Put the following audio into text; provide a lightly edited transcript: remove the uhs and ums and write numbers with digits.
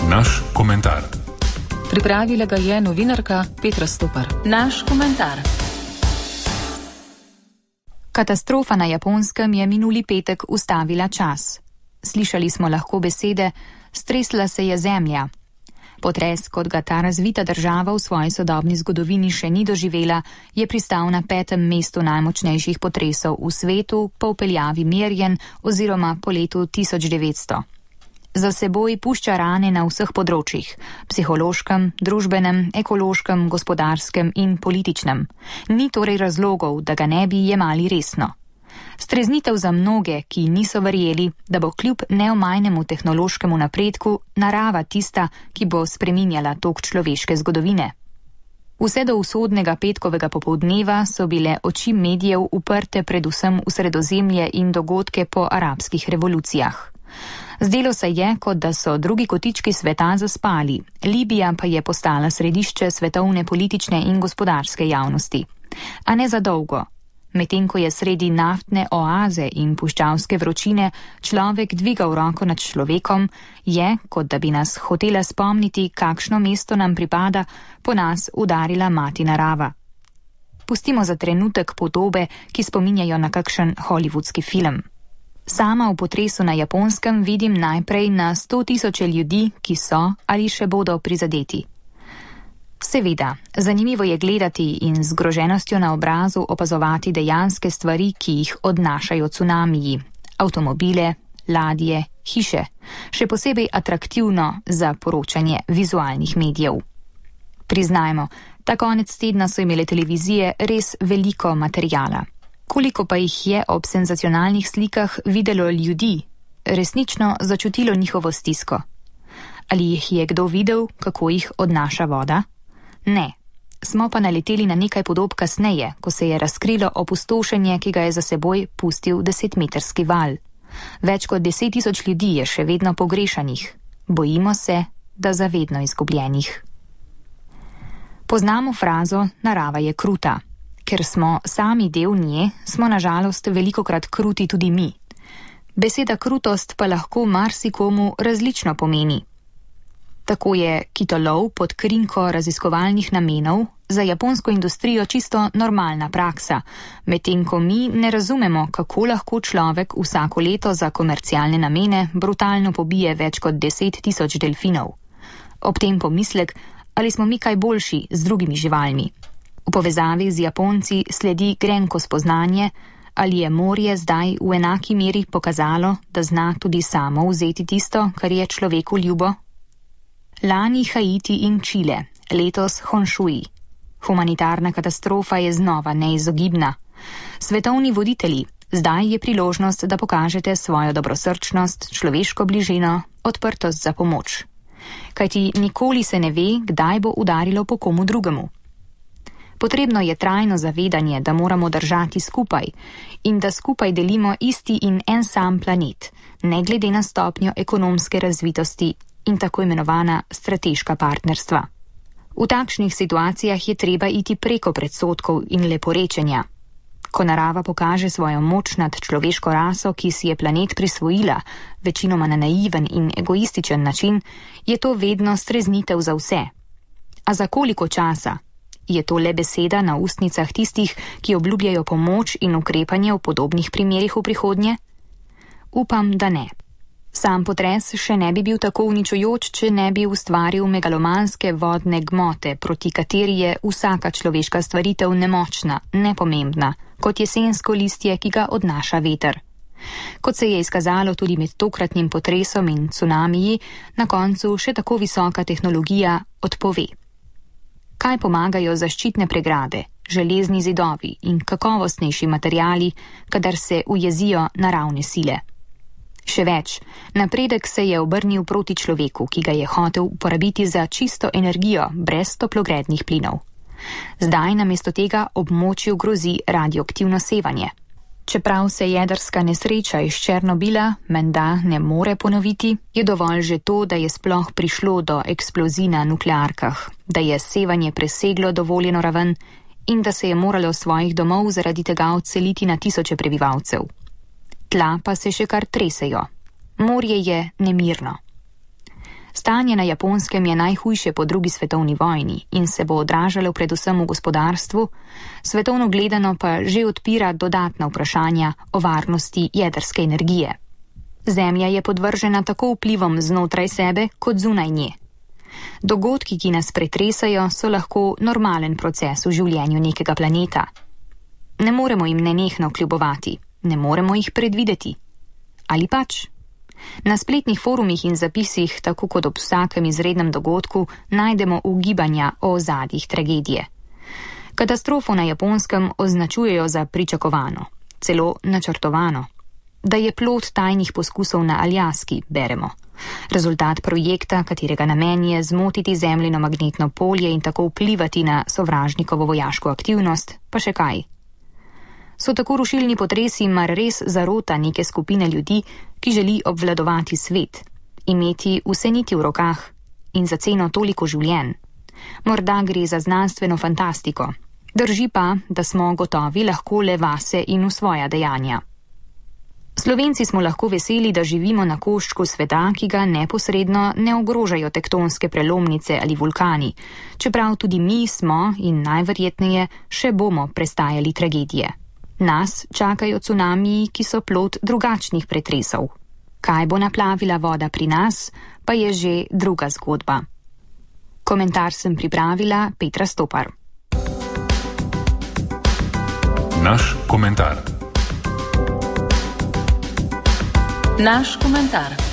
Naš komentar. Pripravila ga je novinarka Petra Stopar. Naš komentar. Katastrofa na Japonskem je minuli petek ustavila čas. Slišali smo lahko besede, stresla se je zemlja. Potres, kot ga ta razvita država v svoji sodobni zgodovini še ni doživela, je pristal na 5. mestu najmočnejših potresov v svetu po vpeljavi merjen oziroma po letu 1900. Za seboj pušča rane na vseh področjih, psihološkem, družbenem, ekološkem, gospodarskem in političnem. Ni torej razlogov, da ga ne bi jemali resno. Streznitev za mnoge, ki niso verjeli, da bo kljub neomajnemu tehnološkemu napredku narava tista, ki bo spreminjala tok človeške zgodovine. Vse do usodnega petkovega popoldneva so bile oči medijev uprte predvsem v Sredozemlje in dogodke po arabskih revolucijah. Zdelo se je, kot da so drugi kotički sveta zaspali, Libija pa je postala središče svetovne politične in gospodarske javnosti. A ne za dolgo. Medtem ko je sredi naftne oaze in puščavske vročine človek dvigal roko nad človekom, je, kot da bi nas hotela spomniti, kakšno mesto nam pripada, po nas udarila mati narava. Pustimo za trenutek podobe, ki spominjajo na kakšen hollywoodski film. Sama v potresu na Japonskem vidim najprej na 100.000 ljudi, ki so ali še bodo prizadeti. Seveda, zanimivo je gledati in z zgroženostjo na obrazu opazovati dejanske stvari, ki jih odnašajo cunamiji, avtomobile, ladje, hiše, še posebej atraktivno za poročanje vizualnih medijev. Priznajmo, ta konec tedna so imele televizije res veliko materijala. Koliko pa jih je ob senzacionalnih slikah videlo ljudi, resnično začutilo njihovo stisko? Ali jih je kdo videl, kako jih odnaša voda? Ne. Smo pa naleteli na nekaj podob kasneje, ko se je razkrilo opustošenje, ki ga je za seboj pustil 10-metrski val. Več kot 10.000 ljudi je še vedno pogrešanih. Bojimo se, da zavedno izgubljenih. Poznamo frazo narava je kruta. Ker smo sami del nje, smo nažalost velikokrat kruti tudi mi. Beseda krutost pa lahko marsikomu različno pomeni. Tako je kitolov pod krinko raziskovalnih namenov za japonsko industrijo čisto normalna praksa, medtem ko mi ne razumemo, kako lahko človek vsako leto za komercialne namene brutalno pobije več kot 10.000 delfinov. Ob tem pomislek, ali smo mi kaj boljši z drugimi živalmi. V povezavi z Japonci sledi grenko spoznanje, ali je morje zdaj v enaki meri pokazalo, da zna tudi samo vzeti tisto, kar je človeku ljubo. Lani Haiti in Čile, letos Honshui. Humanitarna katastrofa je znova neizogibna. Svetovni voditelji, zdaj je priložnost, da pokažete svojo dobrosrčnost, človeško bližino, odprtost za pomoč. Kajti nikoli se ne ve, kdaj bo udarilo po komu drugemu. Potrebno je trajno zavedanje, da moramo držati skupaj in da skupaj delimo isti in en sam planet, ne glede na stopnjo ekonomske razvitosti in tako imenovana strateška partnerstva. V takšnih situacijah je treba iti preko predsodkov in leporečenja. Ko narava pokaže svojo moč nad človeško raso, ki si je planet prisvojila, večinoma na naiven in egoističen način, je to vedno streznitev za vse. A za koliko časa? Je to le beseda na ustnicah tistih, ki obljubljajo pomoč in ukrepanje v podobnih primerih v prihodnje? Upam, da ne. Sam potres še ne bi bil tako uničujoč, če ne bi ustvaril megalomanske vodne gmote, proti kateri je vsaka človeška stvaritev nemočna, nepomembna, kot jesensko listje, ki ga odnaša veter. Kot se je izkazalo tudi med tokratnim potresom in cunamiji, na koncu še tako visoka tehnologija odpove. Kaj pomagajo zaščitne pregrade, železni zidovi in kakovostnejši materiali, kadar se ujezijo naravne sile? Še več, napredek se je obrnil proti človeku, ki ga je hotel uporabiti za čisto energijo, brez toplogrednih plinov. Zdaj namesto tega območju grozi radioaktivno sevanje. Čeprav se jedrska nesreča iz Černobila menda ne more ponoviti, je dovolj že to, da je sploh prišlo do eksplozij na nuklearkah, da je sevanje preseglo dovoljeno raven in da se je moralo svojih domov zaradi tega odseliti na tisoče prebivalcev. Tla pa se še kar tresejo. Morje je nemirno. Stanje na Japonskem je najhujše po drugi svetovni vojni in se bo odražalo predvsem v gospodarstvu, svetovno gledano pa že odpira dodatna vprašanja o varnosti jedrske energije. Zemlja je podvržena tako vplivom znotraj sebe kot zunaj nje. Dogodki, ki nas pretresajo, so lahko normalen proces v življenju nekega planeta. Ne moremo jim nenehno kljubovati, ne moremo jih predvideti. Ali pač? Na spletnih forumih in zapisih, tako kot ob vsakem izrednem dogodku, najdemo ugibanja o ozadjih tragedije. Katastrofo na Japonskem označujejo za pričakovano, celo načrtovano. Da je plod tajnih poskusov na Aljaski, beremo. Rezultat projekta, katerega namen je zmotiti zemljino magnetno polje in tako vplivati na sovražnikovo vojaško aktivnost, pa še kaj. So tako rušilni potresi mar res zarota neke skupine ljudi, ki želi obvladovati svet, imeti vse niti v rokah in za ceno toliko življenj? Morda gre za znanstveno fantastiko. Drži pa, da smo gotovi lahko le vase in v svoja dejanja. Slovenci smo lahko veseli, da živimo na koščku sveta, ki ga neposredno ne ogrožajo tektonske prelomnice ali vulkani, čeprav tudi mi smo in najverjetneje še bomo prestajali tragedije. Nas čakajo cunamiji, ki so plod drugačnih pretresov. Kaj bo naplavila voda pri nas, pa je že druga zgodba. Komentar sem pripravila Petra Stopar. Naš komentar. Naš komentar.